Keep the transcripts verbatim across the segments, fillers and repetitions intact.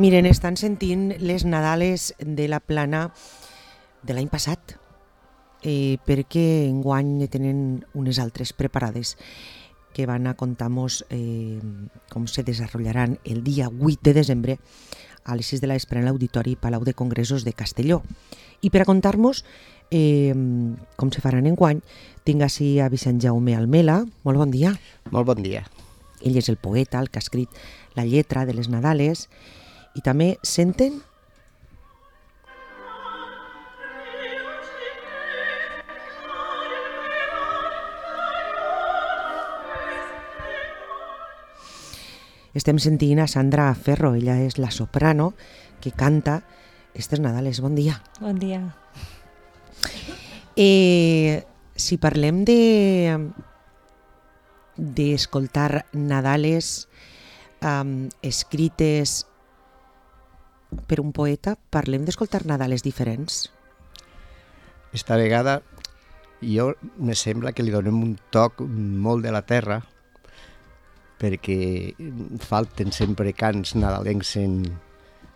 Miren, estan sentint les Nadales de la Plana de l'any passat, eh, perquè enguany ne tenen unes altres preparades que van a contar-nos eh, com se desenvoluparan el dia vuit de desembre a les sis de la vespre en l'Auditori Palau de Congressos de Castelló. I per a contar-nos eh, com se faran enguany, tinc així a Vicent Jaume Almela. Molt bon dia. Molt bon dia. Ell és el poeta, el que ha escrit la lletra de les Nadales, i també senten estem sentint a Sandra Ferro, ella és la soprano que canta estes Nadales. Bon dia. Bon dia. Eh, si parlem de d'escoltar Nadales um, escrites per un poeta, parlem d'escoltar Nadales diferents. Esta vegada jo me sembla que li donem un toc molt de la terra, perquè falten sempre cants nadalencs en,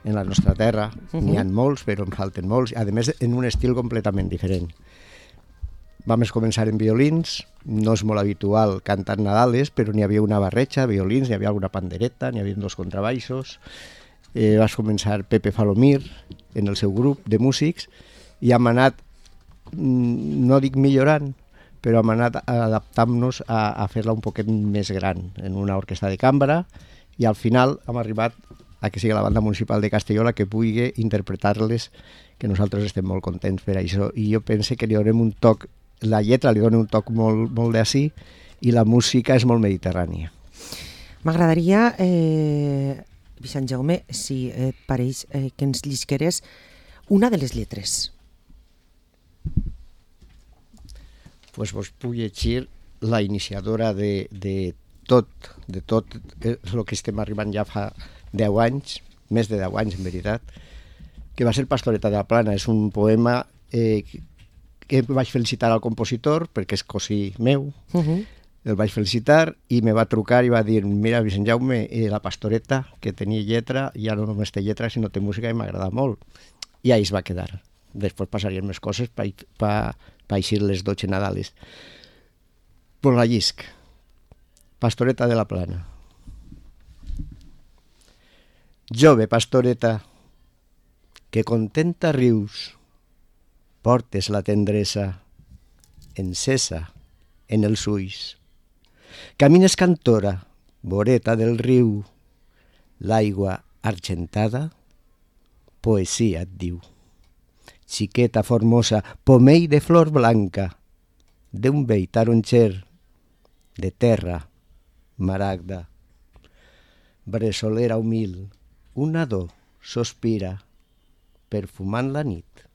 en la nostra terra. Uh-huh. N'hi ha molts, però en falten molts, a més en un estil completament diferent. Vam començar en violins, no és molt habitual cantar Nadales, però n'hi havia una barreja, violins, n'hi havia alguna pandereta, n'hi havia dos contrabaixos. Eh, vas començar Pepe Falomir en el seu grup de músics i hem anat, no dic millorant, però hem anat adaptant-nos a, a fer-la un poquet més gran en una orquestra de cambra, i al final hem arribat a que sigui la banda municipal de Castelló la que pugui interpretar-les, que nosaltres estem molt contents per això, i jo penso que li donem un toc, la lletra li dona un toc molt, molt d'ací, i la música és molt mediterrània. M'agradaria, eh, Vicent Jaume, si et pareix, eh, que ens llisqueres una de les lletres. Pues vos puc llegir la iniciadora de, de tot, de tot el que estem arribant ja fa deu anys, més de deu anys en veritat, que va ser Pastoreta de la Plana. És un poema eh, que vaig felicitar al compositor perquè és cosí meu. Uh-huh. El vaig felicitar i me va trucar i va dir: mira, Vicent Jaume, eh, la Pastoreta, que tenia lletra, ja no només té lletra, sinó té música i m'agrada molt. I ahí es va quedar. Després passarien més coses per pa, pa eixir les dotze Nadales. Pues la llisc. Pastoreta de la Plana. Jove pastoreta, que contenta rius, portes la tendresa encesa en els ulls. Camines cantora, voreta del riu, l'aigua argentada, poesia et diu. Xiqueta formosa, pomell de flor blanca, d'un vell taronxer, de terra, maragda. Bressolera humil, un nadó sospira, perfumant la nit,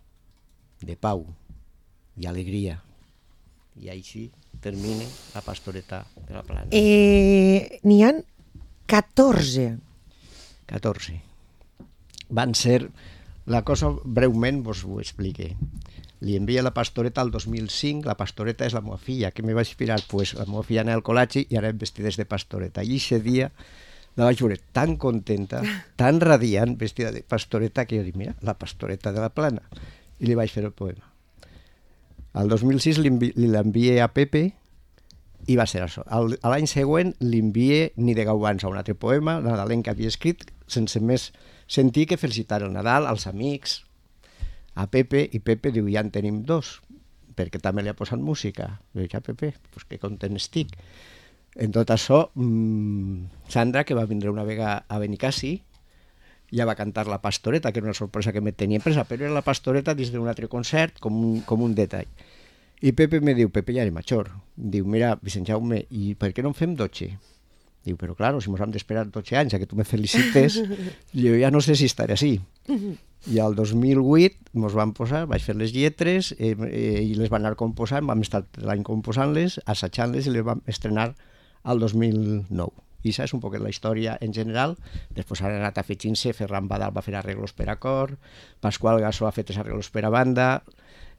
de pau i alegria. I així termina la Pastoreta de la Plana. Eh, n'hi ha catorze. catorze. Van ser... La cosa, breument, vos ho expliqué. Li envia la Pastoreta al dos mil cinc. La Pastoreta és la meva filla. Què me va inspirar? Pues la meva filla anava al col·legi i anàvem vestides de Pastoreta. I aquest dia la vaig veure tan contenta, tan radiant, vestida de Pastoreta, que jo dic, mira, la Pastoreta de la Plana. I li vaig fer el poema. Al dos mil sis li l'envié a Pepe i va ser això. L'any següent li envié Ni de Gaubans, un altre poema, nadalenc que havia escrit, sense més sentir que felicitar el Nadal, als amics, a Pepe, i Pepe diu, ja en tenim dos, perquè també li ha posat música. Diu, ja Pepe, pues que content estic. En tot això, mmm, Sandra, que va vindre una vegada a Benicassi, ja va cantar la Pastoreta, que era una sorpresa que me tenia presa, però era la Pastoreta dins d'un altre concert, com un, com un detall. I Pepe me diu, Pepe ja era major, diu, mira, Vicent Jaume, i per què no en fem dotze? Diu, però claro, si mos hem d'esperar dotze anys a que tu me felicites, jo ja no sé si estaré així. I al dos mil vuit mos van posar, vaig fer les lletres, eh, eh, i les van anar composant, vam estar l'any composant-les, assajant-les, i les vam estrenar al dos mil nou. I això és un poquet la història en general. Després han anat afegint-se, Ferran Badal va fer arreglos per a cor, Pasqual Gasó ha fet els arreglos per a banda,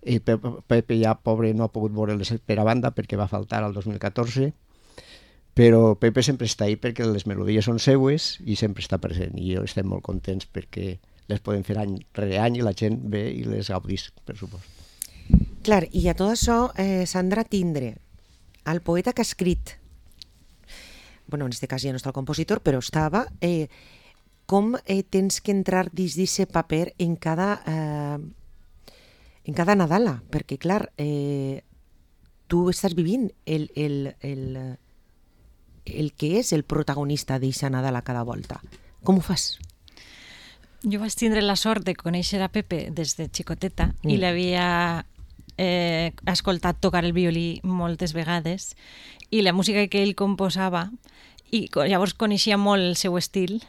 i Pepe ja, pobre, no ha pogut veure-les per a banda perquè va faltar al dos mil catorze, però Pepe sempre està ahí perquè les melodies són seues i sempre està present, i jo estem molt contents perquè les podem fer any rere any i la gent ve i les gaudís, per supost. Clar, i a tot això, eh, Sandra, tindre el poeta que ha escrit, bueno, en aquest cas ja no està el compositor, però estava, eh, com eh, tens que entrar dins d'aquest paper en cada, eh, en cada Nadala, perquè clar, eh, tu estàs vivint el, el, el, el que és el protagonista d'aquesta Nadala cada volta. Com ho fas? Jo vaig tindre la sort de conèixer a Pepe des de xicoteta mm. i l'havia eh, escoltat tocar el violí moltes vegades i la música que ell composava, i llavors coneixia molt el seu estil,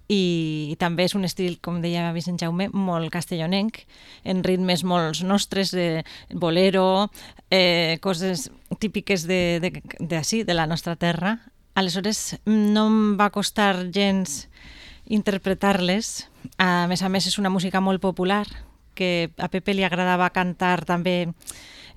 i, i també és un estil, com deia Vicent Jaume, molt castellonenc, en ritmes molt nostres, de bolero, eh, coses típiques de, de, de, de, de la nostra terra. Aleshores no em va costar gens interpretar-les. A més a més és una música molt popular, que a Pepe li agradava cantar també.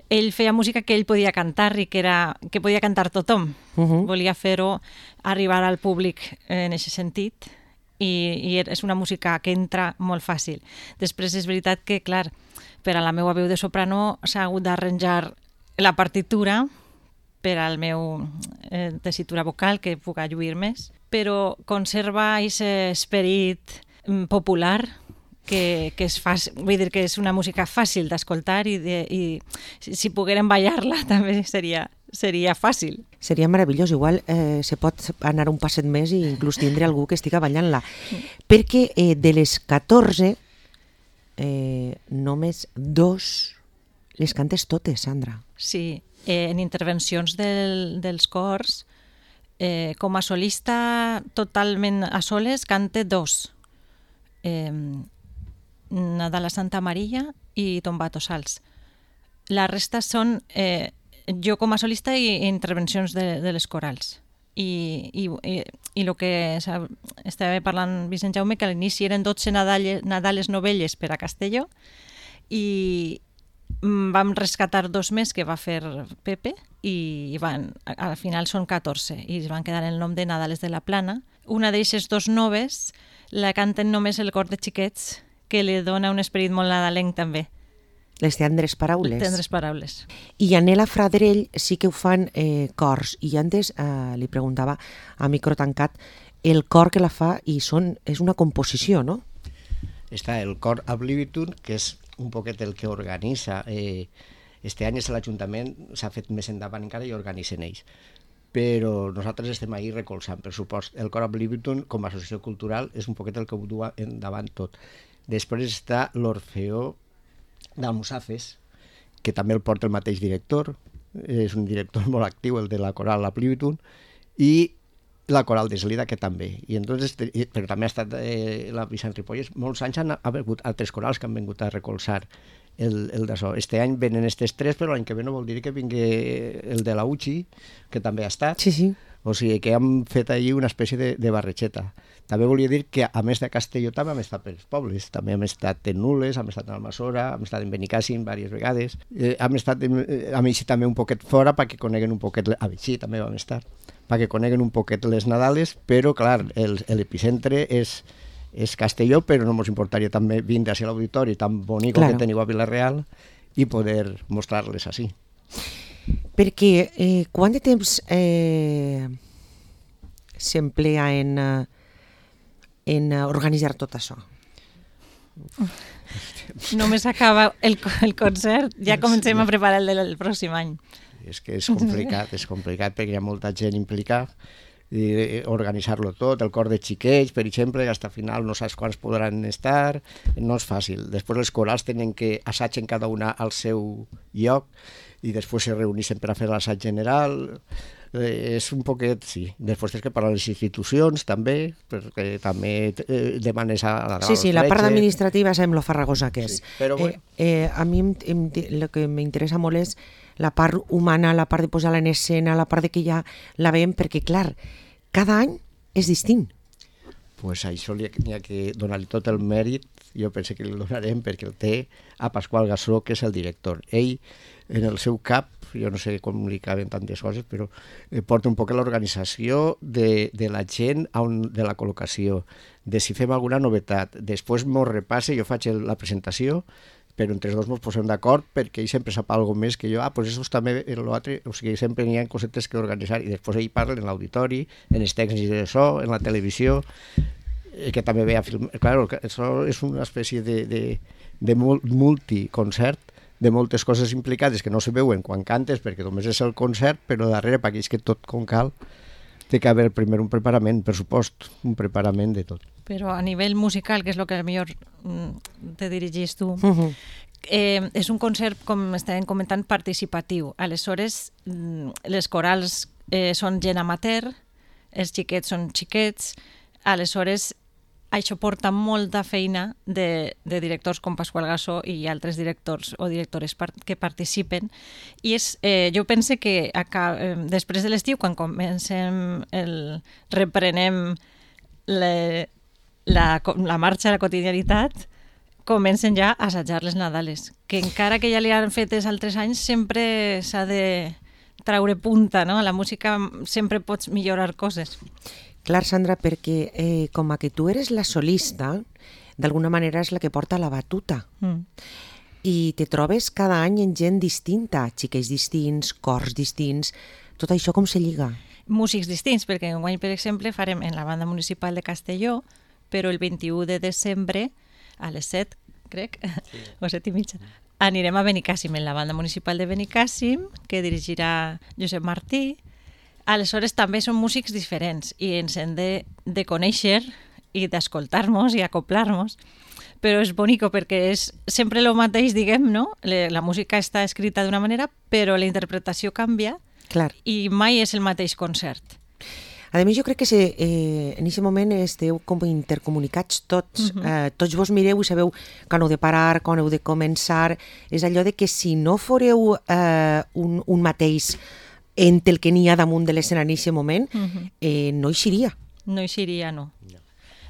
Ell feia música que ell podia cantar i que, era, que podia cantar tothom. Uh-huh. Volia fer-ho arribar al públic en aquest sentit, i, i és una música que entra molt fàcil. Després és veritat que, clar, per a la meva veu de soprano s'ha hagut d'arranjar la partitura per al meu eh, tessitura vocal, que puc lluir més, però conserva aquest esperit popular que, que, és fàcil, vull dir que és una música fàcil d'escoltar, i, de, i si, si poguérem ballar-la també seria, seria fàcil. Seria meravellós, igual eh, se pot anar un passet més i inclús tindre algú que estiga ballant-la. Perquè eh, de les catorze, eh, només dos les cantes totes, Sandra. Sí, eh, en intervencions del, dels cors, eh, com a solista totalment a soles, cante dos. Eh, Nadal a Santa Maria i Tombato Sals. La resta són eh, jo com a solista i intervencions de, de les corals. I, i, i, i el que estava parlant Vicent Jaume, que a l'inici eren dotze Nadales, Nadales novelles per a Castelló, i vam rescatar dos més que va fer Pepe, i van, al final són catorze, i es van quedar el nom de Nadales de la Plana. Una d'eixes dos noves la canten només el cor de xiquets, que li dona un esperit molt nadalenc també. Les tendres paraules. Les tendres paraules. I Anela Fradrell sí que ho fan eh, cors, i antes eh, li preguntava a micro tancat el cor que la fa, i són, és una composició, no? Està el cor Oblivion, que és un poquet el que organitza. Eh, este any és l'Ajuntament, s'ha fet més endavant encara i organitzen ells. Però nosaltres estem ahí recolzant, per supost. El cor Oblivion, com a associació cultural, és un poquet el que ho du endavant tot. Després està l'Orfeó d'Almussafes, que també el porta el mateix director, és un director molt actiu, el de la coral Oblivion, i la coral d'Eslida, que també. I entonces, però també ha estat eh, la Vicent Ripolles. Molts anys han hagut altres corals que han vingut a recolzar el, el d'això. Este any venen aquestes tres, però l'any que ve no vol dir que vingui el de la U C I, que també ha estat. Sí, sí. O sigui que hem fet allí una espècie de, de barretxeta. També volia dir que, a més de Castelló, també hem estat pels pobles. També hem estat en Nules, hem estat en Almassora, hem estat en Benicàssim diverses vegades. Eh, hem estat en, a Mixi també un poquet fora perquè coneguen un poquet... A Mixi també vam estar, perquè coneguen un poquet les Nadales, però, clar, l'epicentre és, és Castelló, però no ens importaria també vindre a l'auditori tan bonic claro. Que teniu a Vila-real i poder mostrar-les així. Perquè eh, quant de temps eh, s'emplea en, en organitzar tot això? Només acaba el, el concert, ja comencem a preparar el del pròxim any. És que és complicat, és complicat perquè hi ha molta gent implicada, i organitzar-lo tot, el cor de xiquets, per exemple, fins al final no saps quants podran estar, no és fàcil. Després els corals tenen que assatgen cada una al seu lloc, i després se reuneixen per a fer l'assaig general. Eh, és un poquet, sí. Després tens que parlar les institucions, també, perquè també eh, demanes a la Sí, sí, la part administrativa sembla farragosa que és. Sí, però bueno. eh, eh, a mi em, em, el que m'interessa molt és la part humana, la part de posar-la en escena, la part de que ja la veiem, perquè, clar, cada any és distint. Pues això li ha que donar-li tot el mèrit, jo penso que li donarem perquè el té a Pasqual Gassó, que és el director. Ell, en el seu cap, jo no sé comunicar en tantes coses, però eh, porta un poc l'organització de, de la gent, on, de la col·locació, de si fem alguna novetat. Després m'ho repasse, jo faig el, la presentació, però entre els dos ens posem d'acord perquè ell sempre sap alguna més que jo, ah, doncs això també en l'altre, o sigui, sempre n'hi ha cosetes que organitzar, i després ell parla en l'auditori, en els tècnics de so, en la televisió, que també ve a filmar. Claro, això és una espècie de, de, de multiconcert, de moltes coses implicades que no se veuen quan cantes perquè només és el concert, però darrere, per aquells que tot com cal, té que haver primer un preparament, per supost, un preparament de tot. Però a nivell musical, que és el que millor te dirigis tu, uh-huh. eh, és un concert, com estàvem comentant, participatiu. Aleshores, les corals eh, són gent amateur, els xiquets són xiquets, aleshores això porta molta feina de, de directors com Pasqual Gassó i altres directors o directores part, que participen, i és, eh, jo pense que acá, eh, després de l'estiu, quan comencem el, reprenem le, la, la marxa a la quotidianitat, comencen ja a assajar les Nadales, que encara que ja li han fet els altres anys, sempre s'ha de traure punta, no? A la música sempre pots millorar coses. Clar, Sandra, perquè eh, com a que tu eres la solista, d'alguna manera és la que porta la batuta. Mm. I te trobes cada any en gent distinta, xiquets distints, cors distints, tot això com se lliga? Músics distints, perquè enguany, per exemple, farem en la banda municipal de Castelló, però el vint-i-u de desembre, a les set, crec, sí. o set i mitja, anirem a Benicàssim, en la banda municipal de Benicàssim, que dirigirà Josep Martí. Aleshores també són músics diferents i ens hem de, de conèixer i d'escoltar-nos i acoplar-nos, però és bonico perquè és sempre el mateix, diguem, no? La música està escrita d'una manera, però la interpretació canvia. Clar. I mai és el mateix concert. A més, jo crec que se, eh, en aquest moment esteu com intercomunicats tots. Uh-huh. eh, tots vos mireu i sabeu quan heu de parar, quan heu de començar. És allò de que si no foreu eh, un, un mateix entre el que n'hi ha damunt de l'escena en aquest moment, uh-huh. eh, no eixiria. No eixiria, no. no.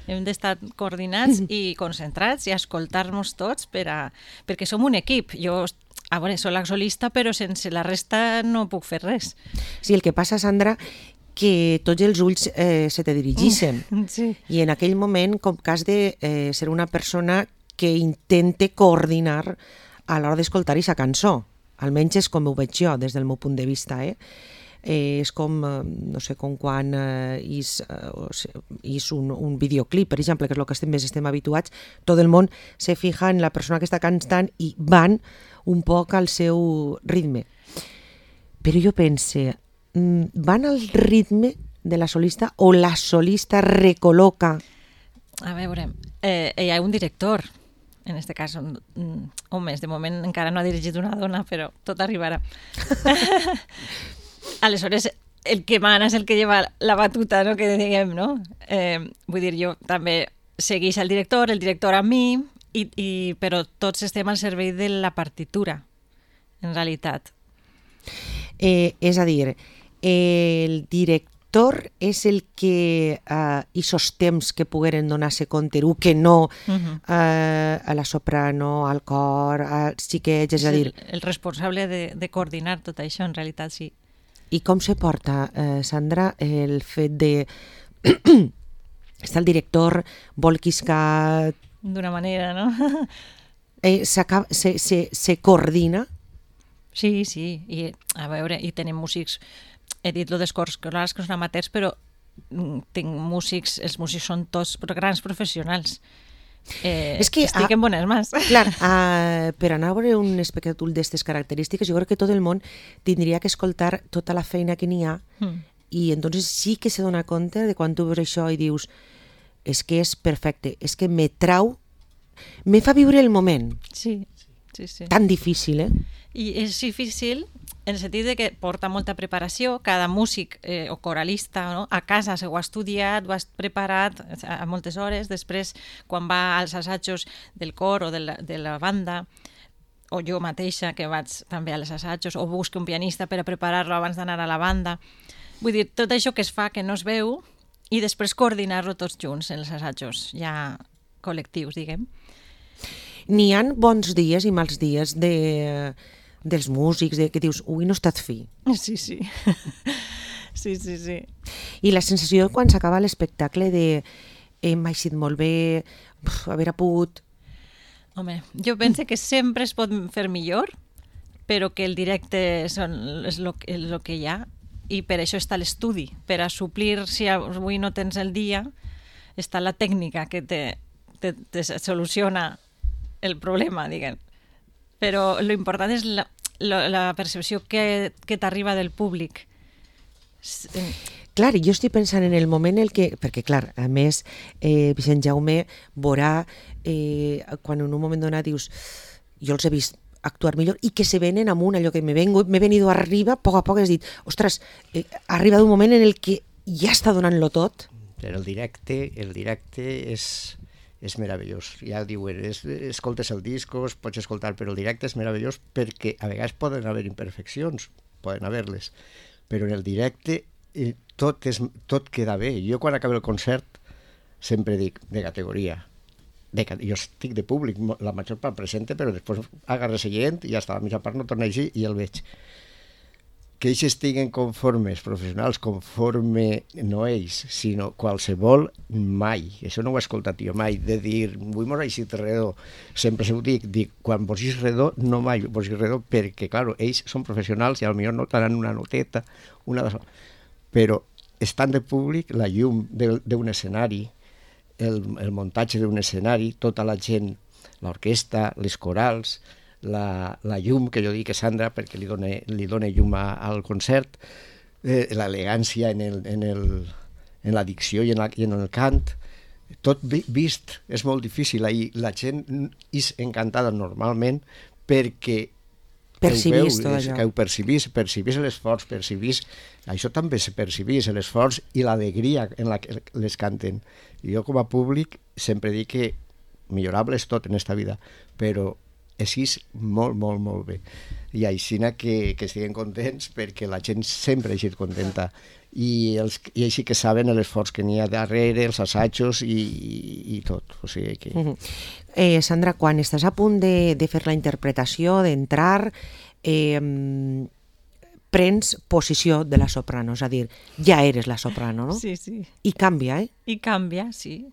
Hem d'estar coordinats uh-huh. i concentrats i escoltar-nos tots per a, perquè som un equip. Jo, a veure, soc la solista, però sense la resta no puc fer res. Sí, el que passa, Sandra, que tots els ulls eh, se te dirigeixen. Sí. I en aquell moment, com que has de eh, ser una persona que intente coordinar a l'hora d'escoltar aquesta cançó. Almenys és com ho veig jo, des del meu punt de vista. Eh? Eh, és com, eh, no sé, com quan eh, és, eh, és un, un videoclip, per exemple, que és el que estem més estem habituats, tot el món se fija en la persona que està cantant i van un poc al seu ritme. Però jo pense, van al ritme de la solista o la solista recol·loca? A veure, eh, hi ha un director, en aquest cas, um, homes, de moment encara no ha dirigit una dona, però tot arribarà. Aleshores, el que mana és el que lleva la batuta, no? Que diguem, no? Eh, vull dir, jo també segueix el director, el director a mi, i, i, però tots estem al servei de la partitura, en realitat. Eh, és a dir, el director és el que eh, aquests temps que pogueren donar-se compte, o que no uh-huh. eh, a la soprano, al cor, als xiquets, és, és a dir... El, el responsable de, de coordinar tot això, en realitat, sí. I com se porta, eh, Sandra, el fet de... Està el director, vol quiscar... D'una manera, no? eh, se, se, se coordina? Sí, sí. I, a veure, i tenim músics... He dit lo dels cors corals, que són amateurs, però tinc músics, els músics són tots grans professionals. Eh, és que estic a, en bones mans. Clar, a, per anar a veure un espectacle d'aquestes característiques, jo crec que tot el món tindria que escoltar tota la feina que n'hi ha mm. i entonces sí que se dona compte de quan tu veus això i dius és que és perfecte, és que me trau, me fa viure el moment. Sí, sí, sí. Tan difícil, eh? I és difícil en el sentit de que porta molta preparació, cada músic eh, o coralista, no? A casa s'ho ha estudiat, ho ha preparat a moltes hores, després quan va als assajos del cor o de la, de la banda, o jo mateixa que vaig també als assajos, o busco un pianista per a preparar-lo abans d'anar a la banda. Vull dir, tot això que es fa que no es veu i després coordinar-lo tots junts en els assajos, ja col·lectius, diguem. N'hi ha bons dies i mals dies de... dels músics, de, que dius, ui, no he estat fi. Sí, sí. Sí, sí, sí. I la sensació quan s'acaba l'espectacle de hem eixit molt bé, uf, haver pogut... Home, jo penso que sempre es pot fer millor, però que el directe són, és el que hi ha, i per això està l'estudi, per a suplir, si avui no tens el dia, està la tècnica que te, te, te soluciona el problema, diguem. Però l'important és la, la, la percepció que, que t'arriba del públic. Clar, jo estic pensant en el moment en el que... Perquè, clar, a més, eh, Vicent Jaume veurà eh, quan en un moment donat dius jo els he vist actuar millor i que se venen amunt, allò que m'he m'he venido arriba, a poc a poc has dit, ostres, eh, ha arribat un moment en el que ja està donant-lo tot. Però el directe, el directe és, és meravellós. Ja diuen, és, escoltes el discos, pots escoltar, però el directe és meravellós perquè a vegades poden haver imperfeccions, poden haver-les, però en el directe eh, tot, és, tot queda bé. Jo quan acabo el concert sempre dic, de categoria, de, jo estic de públic, la major part presente, però després agarres el gent i ja està, la mitja part no torna a llegir i el veig. Que ells estiguen conformes, professionals, conforme no ells, sinó qualsevol, mai. Això no ho he escoltat jo mai, de dir, avui m'ho he eixit redó. Sempre ho dic, dic, quan vos ix redó, no mai vos ix redó, perquè, clar, ells són professionals i potser no tenen una noteta, una de... però estan de públic, la llum d'un escenari, el, el muntatge d'un escenari, tota la gent, l'orquestra, les corals, la, la llum, que jo dic que Sandra, perquè li dona, li dona llum a, al concert, eh, l'elegància en, el, en, el, en la dicció i en, la, i en el cant, tot vi, vist, és molt difícil. Ahir la gent és encantada normalment perquè percibís tot allò. Que ho percibís, percibís l'esforç, percibís... Això també se percibís, l'esforç i l'alegria en la que les canten. I jo com a públic sempre dic que millorable és tot en esta vida, però així és molt, molt, molt bé. I així que, que estiguen contents perquè la gent sempre ha estat contenta. I, els, i així que saben l'esforç que n'hi ha darrere, els assajos i, i, i tot. O sigui que... Uh-huh. eh, Sandra, quan estàs a punt de, de fer la interpretació, d'entrar, eh, prens posició de la soprano, és a dir, ja eres la soprano, no? Sí, sí. I canvia, eh? I canvia, sí.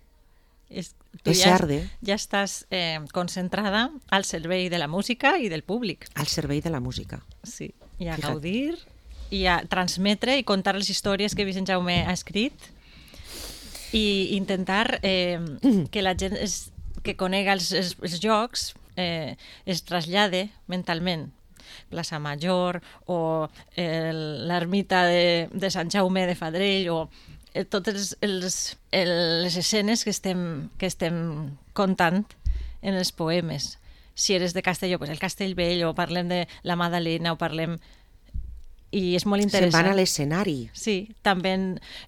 És, tu és ja, cert, eh? Ja estàs eh, concentrada al servei de la música i del públic. Al servei de la música. Sí, i a Fija't. gaudir, i a transmetre i contar les històries que Vicent Jaume ha escrit i intentar eh, que la gent es, que conega els, els, els jocs eh, es trasllade mentalment. Plaça Major o l'ermita de, de Sant Jaume de Fadrell o eh, totes els, els, les escenes que estem, que estem contant en els poemes. Si eres de Castelló, pues el Castellvell, o parlem de la Madalena, o parlem... I és molt interessant. Se'n van a l'escenari. Sí, també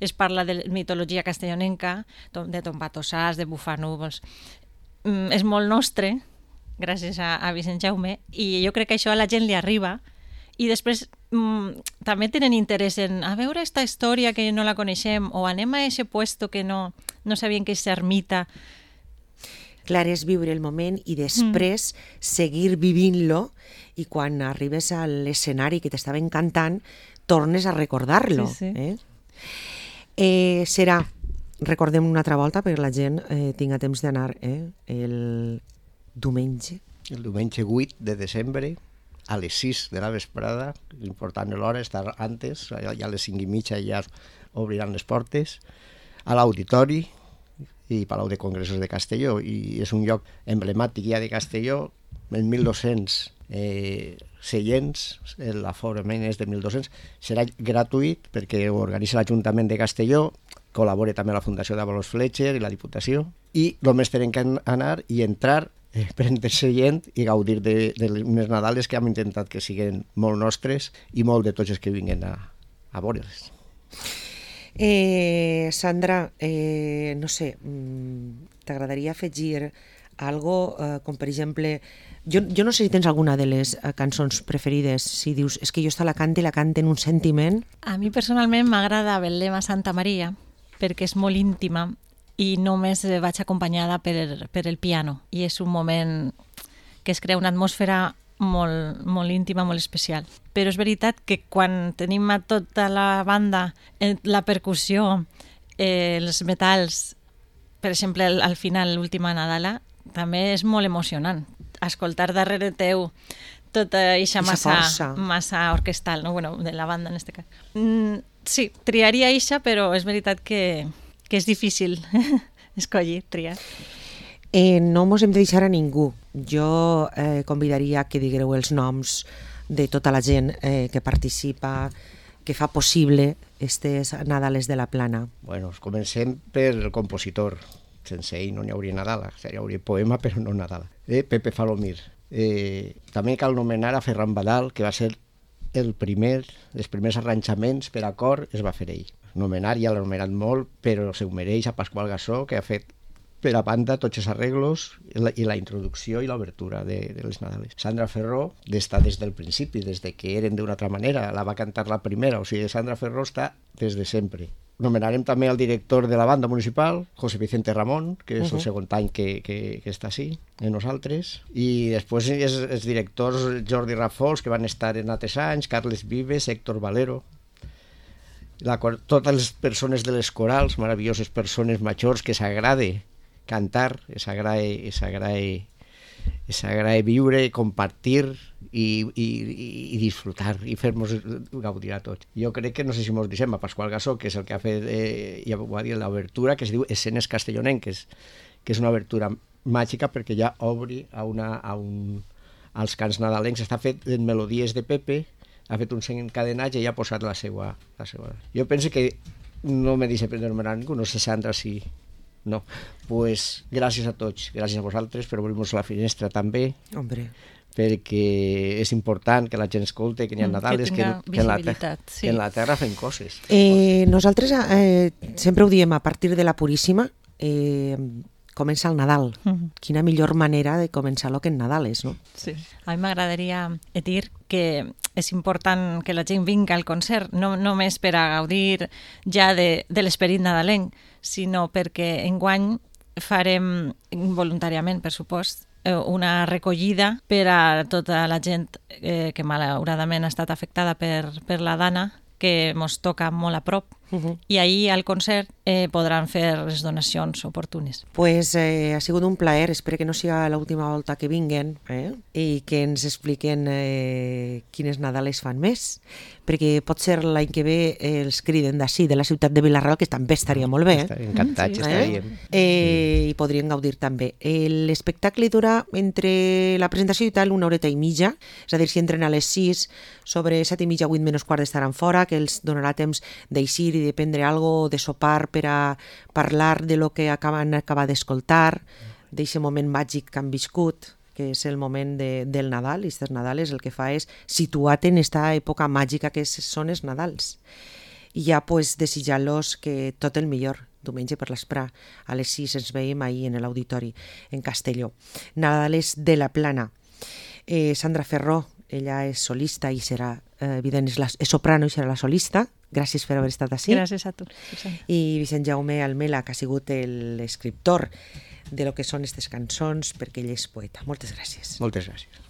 es parla de mitologia castellonenca, de Tombatossars, de Bufanúvols. Mm, és molt nostre, gràcies a, a Vicent Jaume, i jo crec que això a la gent li arriba, i després mm, també tenen interès en a veure aquesta història que no la coneixem, o anem a aquest puesto que no, no sabien que és ermita. Clar, és viure el moment i després mm. seguir vivint-lo, i quan arribes a l'escenari que t'estava encantant, tornes a recordar-lo. Sí, sí. Eh? Eh, serà, recordem una altra volta perquè la gent eh, tinga temps d'anar, eh? el diumenge. El diumenge vuit de desembre, a les sis de la vesprada, l'important és l'hora, estar antes, ja a les cinc i mitja ja obriran les portes, a l'auditori i Palau de Congressos de Castelló, i és un lloc emblemàtic ja de Castelló, en mil dos-cents eh, seients, l'aforament és de mil dos-cents, serà gratuït perquè ho organitza l'Ajuntament de Castelló, col·labora també la Fundació d'Avalos Fletcher i la Diputació, i només tenen que anar i entrar, eh, prendre-se gent i gaudir de, de unes Nadales que hem intentat que siguin molt nostres i molt de tots els que vinguen a, a veure'ls. Eh, Sandra, eh, no sé, t'agradaria afegir algo, eh, com per exemple, jo, jo no sé si tens alguna de les eh, cançons preferides, si dius, és que jo esta la cante i la cante en un sentiment. A mi personalment m'agrada Betlem a Santa Maria, perquè és molt íntima i només vaig acompanyada per, per el piano, i és un moment que es crea una atmosfera molt, molt íntima, molt especial. Però és veritat que quan tenim a tota la banda, la percussió, eh, els metalls, per exemple, al, al final, l'última Nadala, també és molt emocionant. Escoltar darrere teu tota eixa massa, massa orquestal, no? Bueno, de la banda en este cas. Mm, sí, triaria eixa, però és veritat que, que és difícil escollir, triar. Eh, no mos hem de deixar a ningú. Jo eh, convidaria que digueu els noms de tota la gent eh, que participa, que fa possible aquestes Nadales de la Plana. Bueno, comencem per el compositor. Sense ell no n'hi hauria Nadala, hi hauria poema però no Nadala. Eh, Pepe Falomir. Eh, també cal nomenar a Ferran Badal, que va ser el primer, els primers arranjaments per a cor es va fer ell. Nomenar, ja l'ha nomenat molt, però se ho mereix a Pasqual Gassó, que ha fet per a banda tots els arreglos i la, i la introducció i l'obertura de, de les Nadales. Sandra Ferró està des del principi, des de que eren d'una altra manera, la va cantar la primera, o sigui, Sandra Ferró està des de sempre. Nomenarem també al director de la banda municipal, José Vicente Ramón, que és uh -huh. el segon any que, que, que està així, en nosaltres, i després és, els directors Jordi Rafols, que van estar en altres anys, Carles Vives, Héctor Valero, la, totes les persones de les corals, meravelloses persones majors que s'agrade cantar, s'agrada s'agrada viure, compartir i, i, i disfrutar i fer-nos gaudir a tots. Jo crec que, no sé si mos deixem, a Pasqual Gassó, que és el que ha fet, eh, ja ho ha dit, l'obertura, que es diu Escenes Castellonenques, que és una obertura màgica perquè ja obri a una, a un, als cants nadalencs. Està fet en melodies de Pepe, ha fet un encadenatge i ha posat la seva, la seva. Jo penso que no me deixa prendre nomenar ningú, no sé, Sandra, si... No, pues gràcies a tots, gràcies a vosaltres per obrir-nos la finestra també. Hombre. Perquè és important que la gent escolte, que n'hi ha Nadales, que, que, que, en la terra, sí. que en la terra fem coses. Eh, nosaltres eh, sempre ho diem, a partir de la Puríssima eh, comença el Nadal. Uh-huh. Quina millor manera de començar-lo que en Nadales, no? Sí. A mi m'agradaria dir que és important que la gent vinga al concert, no només per a gaudir ja de, de l'esperit nadalenc, sinó perquè enguany farem voluntàriament, per supost, una recollida per a tota la gent eh, que malauradament ha estat afectada per, per la Dana, que mos toca molt a prop. Uh-huh. I ahir al concert eh, podran fer les donacions oportunes. Pues eh, ha sigut un plaer, espero que no sigui l'última volta que vinguen eh? I que ens expliquen eh, quines Nadales fan més, perquè pot ser l'any que ve eh, els criden d'ací, de la ciutat de Vila-real, que també estaria molt bé. Eh? Encantats, sí. Estaríem. Eh, I podrien gaudir també. L'espectacle durà entre la presentació i tal una horeta i mitja, és a dir, si entren a les sis, sobre set i mitja, vuit menys quart estaran fora, que els donarà temps d'eixir i de prendre algo, de sopar per a parlar de lo que acaben acabar d'escoltar, d'aquest moment màgic que han viscut, que és el moment de, del Nadal, i aquests Nadales el que fa és situar-te en aquesta època màgica que són els Nadals. I ja pues, desitjar-los que tot el millor, diumenge per l'esprà, a les sis ens veiem ahir en l'auditori, en Castelló. Nadales de la Plana. Eh, Sandra Ferró, ella és solista i serà, eh, evident, és, la, és soprano i serà la solista. Gràcies per haver estat ací. Gràcies a tu. I Vicent Jaume Almela, que ha sigut l'escriptor de lo que són aquestes cançons, perquè ell és poeta. Moltes gràcies. Moltes gràcies.